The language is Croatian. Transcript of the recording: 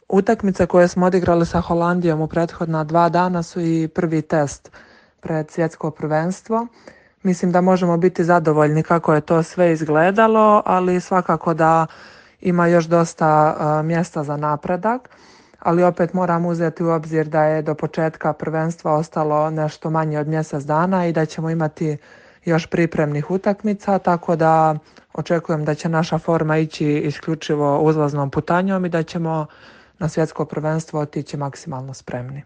Utakmice koje smo odigrali sa Holandijom u prethodna 2 dana su i prvi test pred svjetsko prvenstvo. Mislim da možemo biti zadovoljni kako je to sve izgledalo, ali svakako da ima još dosta mjesta za napredak. Ali opet moram uzeti u obzir da je do početka prvenstva ostalo nešto manje od mjesec dana i da ćemo imati još pripremnih utakmica, tako da očekujem da će naša forma ići isključivo uzlaznom putanjom i da ćemo na svjetsko prvenstvo otići maksimalno spremni.